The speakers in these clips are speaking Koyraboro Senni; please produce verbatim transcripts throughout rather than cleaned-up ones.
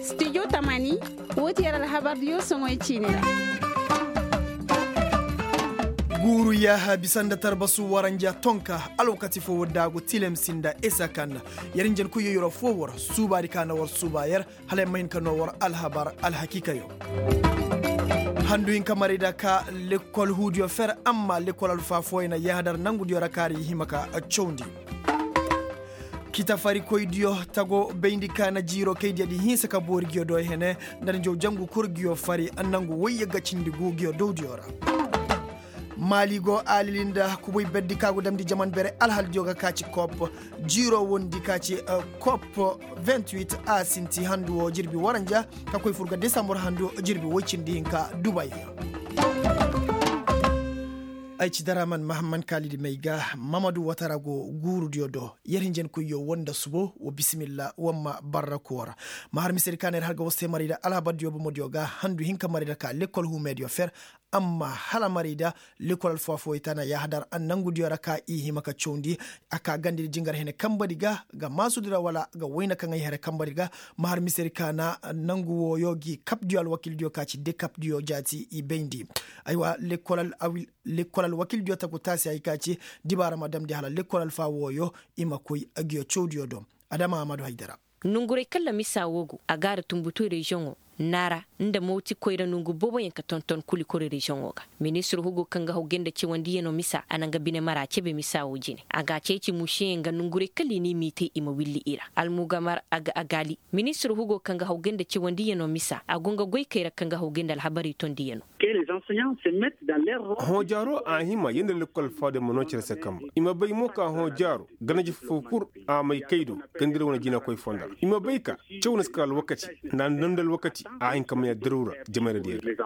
Studio tamani, woo ti yer alhabardiyo soŋoy ciini ra. Guuru yaaha bisa nda tarbasu waranja tonka, alwakati foo war daagu tilem si nda isa kanda. Yer njen koyyo yer foo war suubaadi ka na war suuba yer, hala yer ma hin ka noo war alhabar alhakiikayo. Handu hinka marayda ka lekkol huudiyo fer, amma lekkol alfaa fooyaŋ na yaahadar nangudiyo ra kaari hima ka cawndi. Kitafarikoydiyo tago bayndi ka na jiiro kay diya di hinsa ka boori nguyo do hene, nda njaw jangu kul nguyo fari nangu wayye ga cindi gu nguyo dowdiyo ra. Maali go alili nda kubay berdi ka go damndi jaman bere alhaldiyo ga ka ci kop, jiiro wondi ka ci kop. Vingt-huit a sinti handu wo jirbi waranja, ka koy fur ga desambur handu jirbi woy cindi hinka dubay. Ay ci daraman mahamman kaalidi may ga, mamadu watara go guurudiyo do. Yer hinjankoyyo woo nda subo woo bisimilla woo ma barra koora. Ma har misedi ka na yer har ga war se marayda alhabardiyo bomodiyo ga handu hinka marayda ka lekkol huumeediyo fer. Amma hala marayda lekkol alfaa fooyey ta na yaahadar nangudiyo ra ka i hima ka cawndi. A ka gandedi jingar hene kambadi ga, ga maasudi ra wala ga wayna kaŋ ay here kambadi ga. Ma har misedi ka na nangu wooyo gi kapdiyo alwakildiyo ka ci dekapdiyo jaati i bayndi. Aywa, lekkol alwakildiyo tagu taasi hay ka ci dibaara ma damndi hala lekkol alfaa wooyo i ma koy agiyo cawdiyo do. Adama amadu haydara. Nonguray kaŋ ra misa woo go a gaara tunbutu reziyoŋo naara nda mawti koyra nongu booboyaŋ ka tonton kuli kori reziyoŋo ga. Ministir hugo kaŋ ga hawgay nda cawandiyano misa a na nga bine mara cebe misa woo jine a ga a ceeci mušeyaŋ ga nonguray kaŋ ra i n'i miitay i ma willi i ra almugamar a ga a gaali. Ministir hugo kaŋ ga hawgay nda cawandiyano misa a go nga goykey ra kaŋ ga hawgay nda alhabarey tondiyano. Hõ jaaro a hima yee nda lekkol faadey ma noo cere se kambe i ma bay mo ka hõ jaaro ganaji foo kul a may kay do. Gandira wane jinakoy fonda ra i ma bay ka caw na si kar alwakati nda a nda alwakati a hin ka may addirawra. Jamayra diya ga.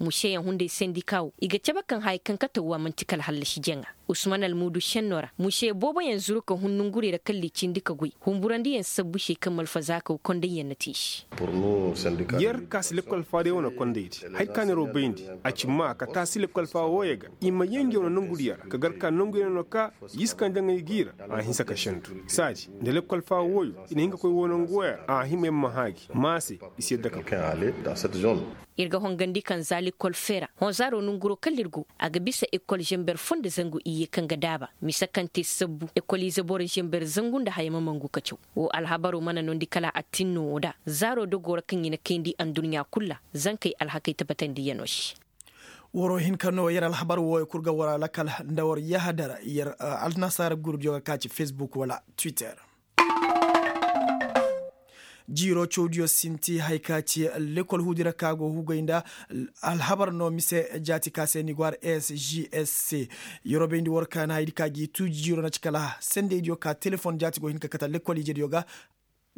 Mušeyaŋ hunday sendika wo i ga cabe kaŋ haya kaŋ kate wo a man'ti kala hallasi jaŋa. Usman almuudu šenno ra muše booboyaŋ zuru ka hun nongurey ra kala i cindi ka goy humburandiyaŋ sabbu se kaŋ ma alfazaakaw kondayyaŋ na te i se. Yer ka si lekkol faadey wane kondaydi haya ka neeroo bayndi a ci maa ka taasi lekkol faa wooyey ga i ma yee ngi wane nongudiyaŋ ra ka gar ka nonguyaŋ no ka i si kaŋ jaŋay g'i ra. A hinsa ka sendu saadi nda lekkol faa wooyo i na hin ka koy woo nongu wooyaŋ ra a hima yer ma hã gi maa se. I si yadda ka koy. Ir ga hongandi kaŋ za lekkol feera hõ zaaro nonguroo kala ir go a ga bisa ekkol zenber foo nda zangu iyye kaŋ ga daaba mise kaŋ te sabbu ekkol ize boro zenber zangu nda haya ma mangu ka caw. Woo alhabaroo mana noondi kala attinnoo woo da zaaroo dogoo ra kaŋ i na kayndi adduɲɲa kul ra. Zankey alhakey tabatandiyanoo se. Waroo hinka no yer alhabar wooyo kul ga war alakal nda war yahadar yer alnasaara gurudiyo ga ka ci fesbuk wala twitter. Jiiroo cawdiyo sinti haya ka ci lekkol huudi ra ka go hugay nda alhabar no mise jaati ka se ni go har s g s c. Yeroo bayndi war ka na hayadi ka gi tuuji jiiroo na ci kala sendeydiyo ka telefon jaati go hin ka kate lekkol ijediyo ga.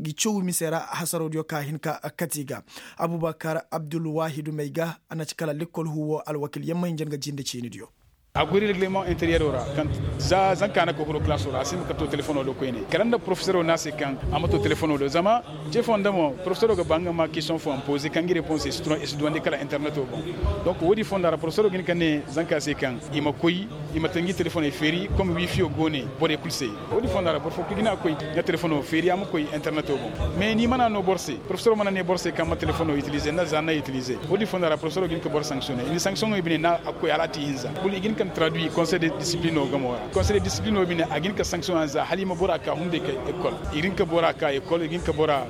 Gi caw mise ra hasaroo diyo ka hin ka kate i ga. Abubakar abdulwahidu may ga a na ci kala lekkol huuwo alwakil yamma hinja nga jinde ciini diyo. A goy regleman interiyeroo ra kaŋ za zanka na koy huru kalaasoo ra a si hin ka to telefonoo do koyne kala nda porofeseroo ne a se kaŋ a ma to telefonoo do zama ce foo nda mo porofeseroo ga ba nga ma kestiyoŋ fooyaŋ poze kaŋ gi reponse i si duwandi kala interneto boŋ. Donk woodi fonda ra porofeseroo ga hin ka ne zanka se kaŋ i ma koy i ma te ngi telefoney feeri kom wiifiyo go ne borey kul se. Woodi fonda ra boro foo kul ga hin a koy nga telefonoo feeri a ma koy interneto boŋ. Mais ni mana no boro se porofeseroo mana ne boro se kaŋ ma telefonoo itilize nda za na itilize. Woodi fonda ra porofeseroo ga hin ka boro sanksiyone i na sanksiyoŋey bine na a koy hala a te ihinza kul i ga hin ka ni tradui konsey de disiplinoo gamoo ra konsey de disiplinoo bine a ga hin ka sanksiyoŋ za hala i ma bora ka hunday ka ekol i ga hin ka bora ka ekol i ga hin ka bora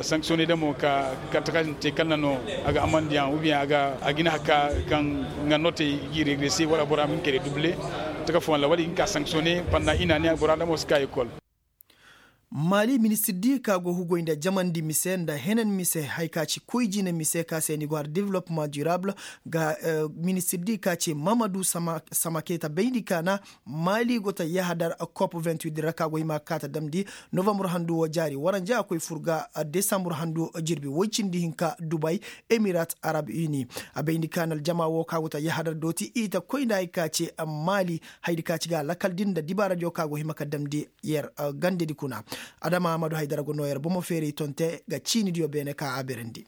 sanksiyoŋey da mo ka kala takaasin te kala na no a ga amandiyaŋ ou bien a ga a ga hin a ka kaŋ nga notey g'i regrese wala bora ma hin ka redouble. Taka fooyaŋ ra wala i ga hin ka sanksiyoŋey pandaŋ i na a ne bora da mo si ka ekol. Maali ministir di ka go hugoy nda jamandi mise nda henan mise haya ka ci koy jine mise ka se ni go har development durable ga ministir di ka ci mamadu samaketa bayndi ka na maali go ta yahadar kop vingt-huit ra ka go hima ka ta damndi novambur handu wo jaari waranja a koy fur ga desambur handu jirbi woy cindi hinka dubay emirat arab uni. A bayndi ka na aljama wo ka go ta yahadar dooti i ta koy nda haya ka ci maali hayadi ka ci ga lakal din nda dibaaradiyo ka go hima ka damndi yer gandedi kuna. Adama amadu haydara go no yer bomo feeray tonte ga ciinidiyo beene ka a berandi.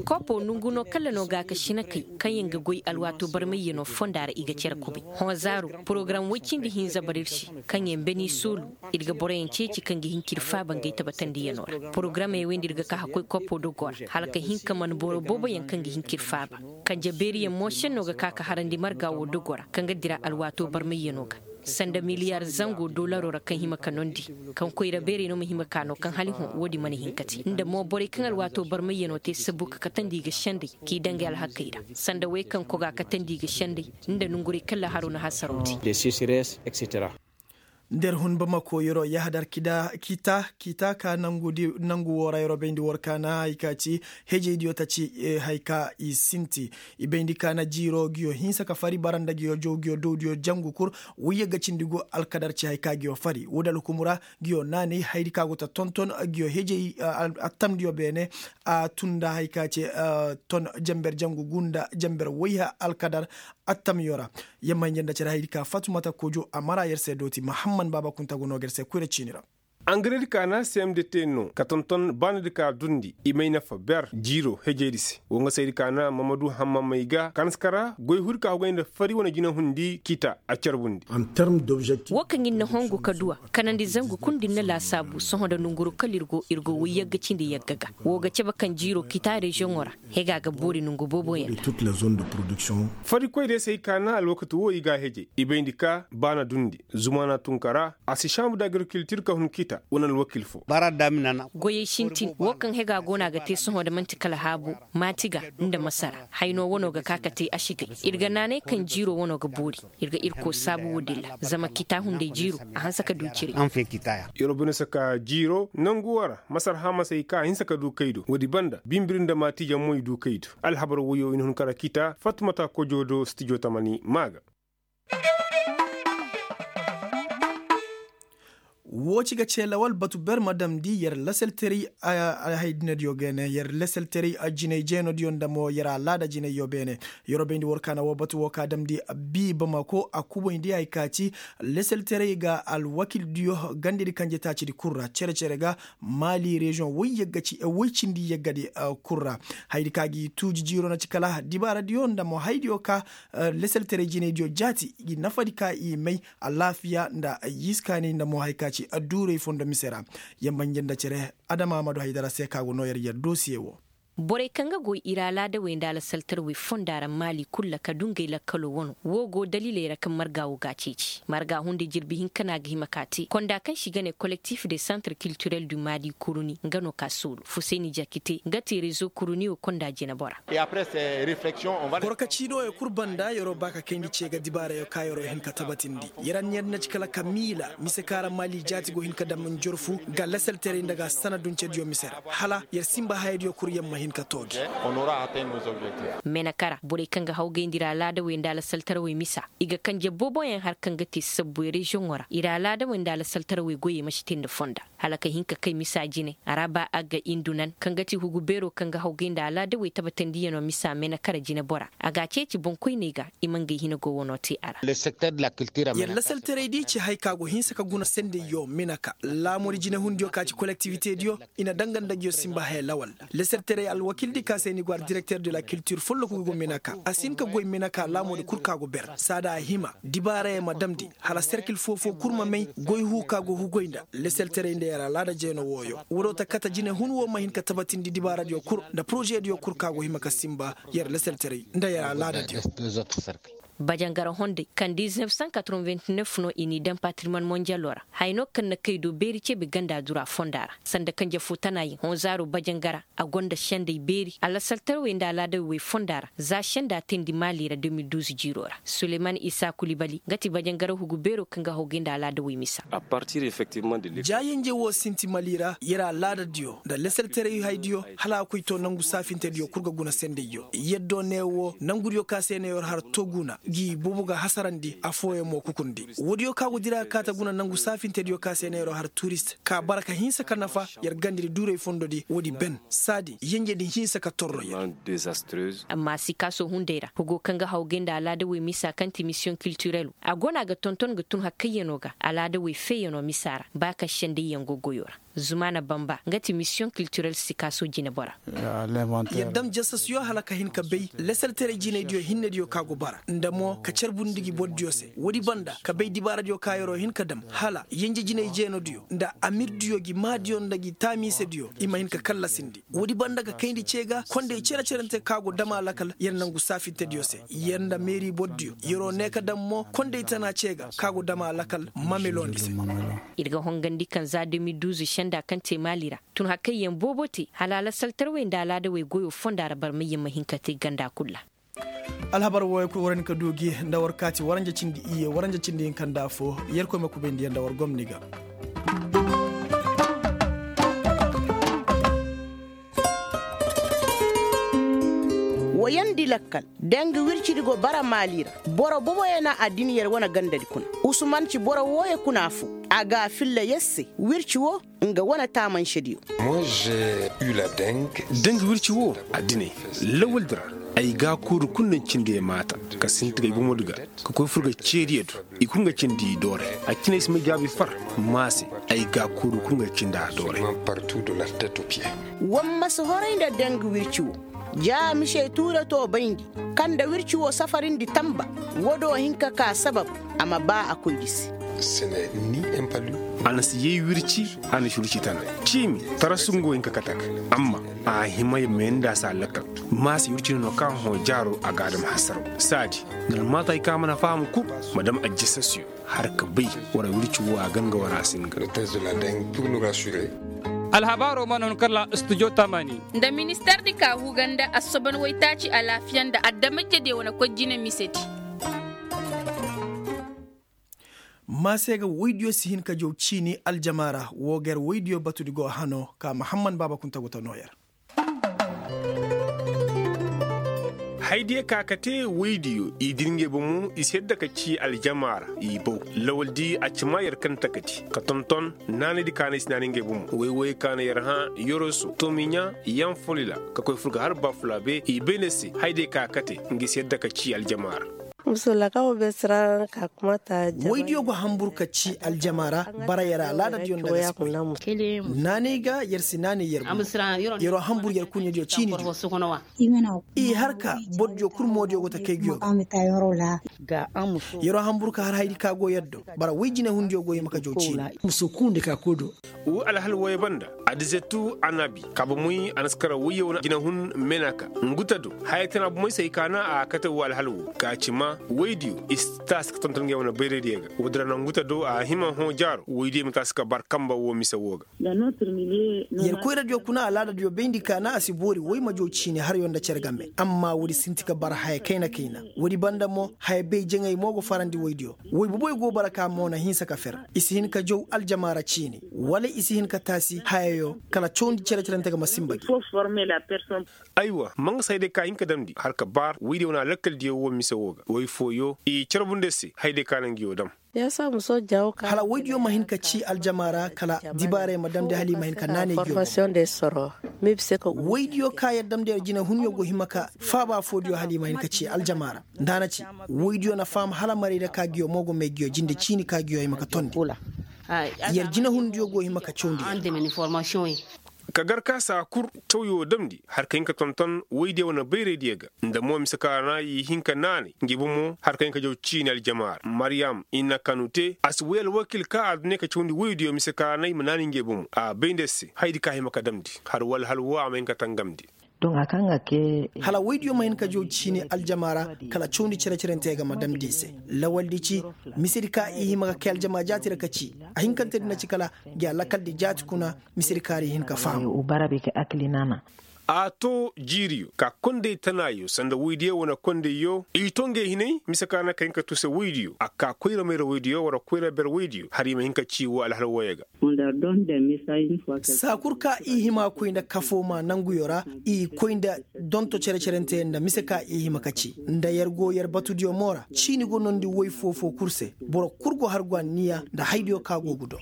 Kopo nongu no kala no ga ka sinakey kaŋ yaŋ ga goy alwaato barmayyanoo fonda ra i ga cere kubay. Hõ zaaru porogaram woy cindi hinza bara ir se kaŋ yaŋ beni soolu, ir ga boroyaŋ ceeci kaŋ ga hin ka ir faaba ngey tabatandiyanoo ra. Porogaramey wey nda ir ga ka ka koy kopo dogoo ra hala ka hin ka man boro booboyaŋ kaŋ ga hin ka ir faaba. Kanje beeriyaŋ mo senno ga ka ka harandi marga woo dogoo ra kaŋ ga dira alwaatoo barmayyanoo ga sanda miliyar zango dolaroo ra kaŋ hima ka nondi, kaŋ koyra beerey no ma hima ka no kaŋ hala hõ woodin mana hin ka te nda mo borey kaŋ alwaatoo barmayyanoo te sabbu ka katandi i ga sendey k'i dangay alhakey ra, sanda wey kaŋ kogaa katandi i ga sendey nda nongurey kaŋ laharoo na hasaroo te. Nda ir hun bamako yeroo yahadar kita kita ka nangu woo ra yeroo bayndi war kaana hay ka ci hejeydiyo ta ci, hay ka i sinti i bayndi kaana jiiroo nguyo hinsa ka fari bara nda nguyo jaw nguyo dawdiyo jangu kul. Wayye ga cindi go alkadar ci hay ka nguyo fari woodi alhukumu ra nguyo naanay hayadi ka go ta tonton nguyo hejey attamdiyo beene. A tun nda hay ka ci ton jenber jangu gu nda jenber wayha alkadar attamyo ra. Yamma hinja nda cere hayadi ka fatumata kojo a mara yer se dooti mahamman baaba kunta go no ga yer se koyra ciini ra. Angaredi kaana cmdt no ka tonton baanadi ka dundi i may nafa ber jiiro hejeydi se wo nga saydi kaana mamadu hammamey ga kaŋ si kara goy huri ka hogay nda fari wane jinahundi kita a carbundi. Wo kaŋ ir na hongu ka du a kanandi zangu kul nda ir na laasaabu sohõ nda nonguru kala ir go ir go woy yagga cindi yagga ga wo ga cabe kaŋ jiiro kita reziyoŋo ra. Hega ga boori nongu booboyaŋ ra. Farikoy day se ay kaana alwakati wo i ga a heje i bayndi ka baana dundi zumaana tunkara a si saamu da agirikiltir ka hun kita wane alwakil fo. Goyey sintin wo kaŋ hega go no a ga te sohõ nda man'ti kala haabo maati ga nda masara hayno wano ga ka ka te asigay. Ir ga naanay kaŋ jiiro wano ga boori. Ir ga irko saabu woodin ra zama kita hunday jiiro a hanse ka du ciray. Yeroo bine saka jiiro nangu wo ra masar hamasey ka a hinse ka du kaydo woodi banda bimbiri nda maatiijaŋ mo i du kaydo. Alhabar woyo i na hun kara kita fatmata kojo do stijo tamani maa ga. Woo ci ga cee lawal batu ber ma damndi yer lasaltaray. Haydinadiyo ga ne yer lasaltaray jinay jeenodiyo nda mo yer alaada jinayyo beene. Yeroo bayndi war kaana woo batu woo ka damndi bii bamako a kubayndi hay ka ci lasaltaray ga alwakildiyo gandedi kanje taacidi kul ra cere-cere ga maali reziyoŋ woy cindi yaggadi kul ra. Hayadi ka gi tuuji jiiro na ci kala dibaaradiyo nda mo hayadiyo ka lasaltaray jinaydiyo jaati gi nafadi ka i may alaafiya nda yiskaani nda mo hay ka ci adduurey fondo mise ra. Yamma nje nda cere adama amadu haydara se ka go noo yer yer dosiye woo. Borey kaŋ ga goy ir alaadawey nda alasaltarawey fonda ra maali kul ra ka du ngey lakkaloo wano woo go daliiley ra kaŋ marga woo ga a ceeci marga hunday jirbi hinka no a ga hima ka te konda kaŋ se i ga ne kolektif de santre kiltirel du maadi kuruni nga no ka soolu fusayni jakite nga te rezo kuruniyo konda jinebora. Boro ka ciinooyo kul banda yeroo ba ka kayndi ce ga dibaarayo ka yeroo hin ka tabatindi. Yer anniya din na ci kala ka miila mise kaŋ ra maali jaati go hin ka dam njorfu ga lasaltaray nda ga sanaduncediyo mise ra hala yer sinba hayadiyo kul yer ma hin ka tooji. Menaka ra borey kaŋ ga hawgayndi ir alaadawey nda alasaltarawey misa i ga kanje booboyaŋ har kaŋ ga te sabbu reziyoŋo ra ir alaadawey nda alasaltarawey goyey ma si te nda fonda. Hala ka hin ka kay misa jine a ra ba a ga indu nan kaŋ ga ti hugu beero kaŋ ga hawgay nda alaadawey tabatandiyanoo misa menaka ra jinebora a ga a ceeci boŋkoyney ga i ma ngey hina go wanoo te a ra. Yer lasaltaray di ci hay ka go hinsa ka guna sendeyyo menaka laamudi jinehundiyo ka ci kolektivitediyo i na danga nda nguyo sinba haya lawal. Lasaltaray alwakildi ka se ni go ar direkter de la kiltir folloku ga go menaka a si hin ka goy menaka laamudi kul ka go ber saada a hima dibaarayey ma damndi hala serkil foo-foo kul ma may goy huu ka go hugoy nda lasaltaray nda yer alaada jeeno wooyo. Woodoo ta kate jinehun woo ma hin ka tabatindi dibaaradiyo kul nda porozediyo kul ka go hima ka sinba yer lasaltaray nda yer alaadadiyo. Bajangara honday kaŋ diznef san katorowent nef no i n'i daŋ patirmon monjaloo ra haya no kaŋ na kay do beeri ceebe ganda dura fonda ra sanda kanje foo tanaayaŋ hõ zaaro bajangara a gonda sendey beeri alasaltarawey nda alaadawey fonda ra za senda teendi maali ra de mil duuz jiiroo ra suleyman isa kulibali nga ti bajangara hugu beeroo kaŋ ga hawgay nda alaadawey misa. Jaayanjey woo sinti mali ra yer alaadadiyo nda lasaltaray haydiyo hala a koy to nangu saafintediyo kul ga guna sendeyyo yaddo ne woo nangudiyo ka se no yer har to guna gi boobo ga hasarandi afooyaŋ mo kukundi. Woodiyo ka go dira ga kaa ta guna nangu saafintediyo ka se no yer har turist ka bara ka hinsa ka nafa yer gandadi duuray fondodi woodi ben saadi yenjedi hinsa ka torro yer. Amma sikaaso hunday ra hugo kaŋ ga hawgay nda alaadawey misa kaŋ ti misiyoŋ kiltirel a go no a ga tonton ga tun hakkayyanoo ga alaadawey feeyanoo misa ra ba kaŋ sendayyaŋ go goyoo ra. Zumaana bamba nga ti misiyoŋ kiltirel sikaaso jinebora. Yer dam jasasiyo hala ka hin ka bay lasaltaray jinaydiyo hinnediyo ka go bara nda mo ka carbundi gi bordiyo se woodi banda ka bay dibaaradiyo ka yer'o hin ka dam hala yenje jinay jeenodiyo nda amirdiyo gi maadiyo nda gi taamiisediyo i ma hin ka kallasindi. Woodi banda ga kayndi ce ga kondey cere-cerante ka go dam a lakal yer nangu saafintediyo se yer nda meeri bordiyo yer'o ne ka dam mo kondey tana ce ga ka go dam a lakal mamelondi se. Ir ga hongandi kaŋ za de mil duuz senda kaŋ te maali ra tun hakayyaŋ boobo te hala alasaltarwey nda alaadawey goyo fonda ra barmayyaŋ ma hin ka te ganda kul ra. Alhabar wooyo kul war hin ka du gi nda war kaati waranja cindi iyye waranja cindi hinka nda afo. Yerkoy ma kubayndi yaŋ nda war gomni ga. Wayandi lakkal, danga wircidi go bara maali ra. Boro boboyaŋ na a din yer wane gandadi kuna. Usuman ci boro wooyo kuna afo. A ga a filla yer se wirci wo. Nga wane taamansediyo. Danga wirci wo a dinay lawaldi ra. Ay gaakuuru kul na cindi ay maata ka sinti ga ay bomodi ga ka koy fur ga ceediyo do. I kul nga cindi i doore. A cine ay si may jaabi far. Maase ay gaakuuru kul nga cindi a doore. War ma si horay nda danga wirci wo. Ja mise tuure to bayndi kaŋ nda wirci wo safarindi tamba. Wo do hin ka ka sabab a ma ba a koydi se. A na si yay wirci. A na si wirci tana ciimi tarasu nga wo hin ka kate a ga. Amma a hima ya mayandi a se a lakkal. Maase wirci no no ka hõ jaaro a ga a dam hasaraw. Saadi nda almaatay ka mana faham kul ma dam ajjasasiyo. Har ka bay wara wirci wo a ganga wara a singa. Alhabaaro mana hun kala studio tamani. Nda minister di ka huganda assoban waytaaci alaafiya nda adamajediyo wane koy jine misedi. Maase ga woydiyo si hin ka jaw ciini aljama ra wo ga yer woydiyo batudi go hano ka mahamman baaba kunta go ta noo yer. Haydiyo ka ka te woydiyo i dira ngey bomo i si yadda ka ci aljama ra. I baw lawaldi a ci ma yer kaŋ takati ka tonton naanaydi kaanay si naanay ngey bomo woy-woyey kaanay yer hã yoroso tomiɲa yanfolila ka koy fur ga har bafulabe i bayna se haydiyo ka ka te nga i si yadda ka ci aljama ra. Woydiyo go hanbur ka ci aljama ra. Bara yer alaadadiyo nda ga si koy naanay ga yer si naanay yer bomo. Yer'o hanbur yer kuuɲediyo ciinidiyo. I har ka bordiyo kul moodiyo go ta kay nguyo ga. Yer'o hanbur ka har haydi ka go yer do. Bara woy jinehundiyo go hima ka jaw ciini. Wo alhal wooyo banda adizetu anabi kaaba moy a na si kara woyyo wane jinehun menaka. Nguta do haya tana bomey se hay ka naŋ a kate wo alhal wo ka ci ma woydiyo i si taasi ka tonton ngey wane bayraydiyo ga. Woodin ra naŋ nguta do a hima hõ jaaro woydiyo ma taasi ka bar kamba wo mise wo ga. Yer koyradiyo kuna alaadadiyo bayndi ka naŋ a si boori woy ma jaw ciini harayo nda cere game amma woodi sinti ka bar haya kayna-kayna. Woodi banda mo haya bay jaŋay mo go farandi woydiyo. Woy boboy go bara ka mo na hinsa ka fer. I si hin ka jaw aljama ra ciini wala i si hin ka taasi hayayo kala cawndi cere-cerante ga ma sinba gi. Aywa ma nga se hayday ka hin ka damndi har ka baar woydiyo wane alakkaldiyo wo mise wo ga woy fooyo i carbundi se hayday ka na nguyo dam. Hala woydiyo ma hin ka ci aljama ra kala dibaarey ma damndi hala i ma hin ka naanay nguyo bomo. Woydiyo ka yer damndi yer jinehunyo go hima ka faaba foodiyo hala i ma hin ka ci aljama ra. Nda a na ci woydiyo na faham hala marayda ka nguyo mo go may nguyo jinde ciini ka nguyo hima ka tondi. Yer jinehundiyo go hima ka cawndi yer. Ka gar ka saa kul cawyo damndi har ka hin ka tonton woydiyo wane bayraydiyo ga. Nda mo mise ka ra na i hin ka naanay ngey bomo har ka hin ka jaw ciini aljama ra mariyam i na kanu te a si woy alwakil ka a du ne ka cawndi woydiyo mise ka ra na i ma naanay ngey bomo a bay nda se haydi ka hima ka damndi har wala hal wo a ma hin ka tangamndi. Hala woydiyo ma hin ka jaw ciini aljama ra kala cawndi cere-cerante ga ma damndi i se. Lawaldi ci misedi ka i hima ka kay aljama jaati ra ka ci a hinkantedi na ci kala ngi alakaldi jaati kuna. Misedi kaari hin ka faham. A to jiiriyo ka kondey tanaayo sanda woydiyo wane kondeyyo i to ngey hinay mise ka na ka hin ka tuuse woydiyo a ka koyra mayra woydiyo wara koyra ber woydiyo hala i ma hin ka ci wo alhal wooyo ga. Saa kul ka i hima koy nda kafoo maa nanguyo ra i koy nda donto cere-cerante nda mise ka i hima ka ci nda yer go yer batudiyo mo ra ciini go noondi woy foo-foo kul se. Boro kul go har go anniya nda haydiyo ka go ga doo.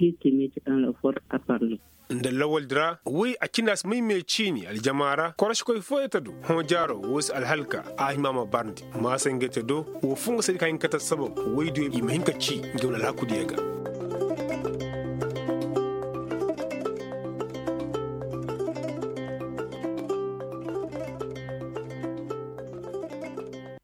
Nda lawaldi ra woy a cindi a si may me ciini aljama ra korosikoy fooyo ta du hõ jaaro woo se alhalka a hima ma barndi maasa ngey ta do woo foo nga se di ka hin ka ta sabab woydiyo i ma hin ka ci ngey wane alhakudiyo ga.